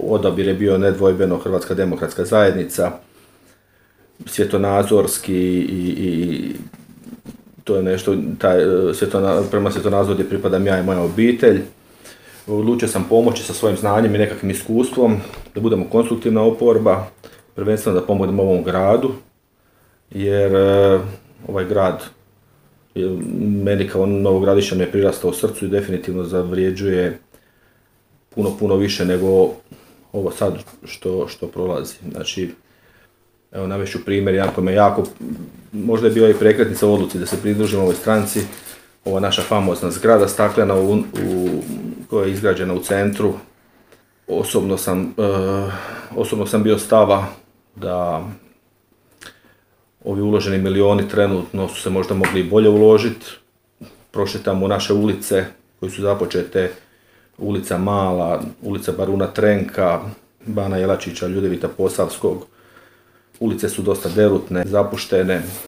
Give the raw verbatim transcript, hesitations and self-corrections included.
odabir je bio nedvojbeno Hrvatska demokratska zajednica, svjetonazorski i, i to je nešto, taj, svjetona, prema svjetonazoru gdje pripadam ja i moja obitelj. Odlučio sam pomoći sa svojim znanjem i nekakvim iskustvom, da budemo konstruktivna oporba, prvenstveno da pomognemo ovom gradu, jer e, ovaj grad je, meni kao Novogradišćan je prirastao u srcu i definitivno zavrijeđuje puno, puno više nego ovo sad što, što prolazi. Znači, evo navešću primjer, jako me jako, možda je bio i prekretnica u odluci da se pridružimo ovoj stranci, ova naša famozna zgrada staklena u, u, koja je izgrađena u centru. Osobno sam, e, osobno sam bio stava da ovi uloženi milioni trenutno su se možda mogli i bolje uložiti. Prošetamo naše ulice koje su započete, ulica Mala, ulica Baruna Trenka, Bana Jelačića, Ljudevita Posavskog. Ulice su dosta derutne, zapuštene.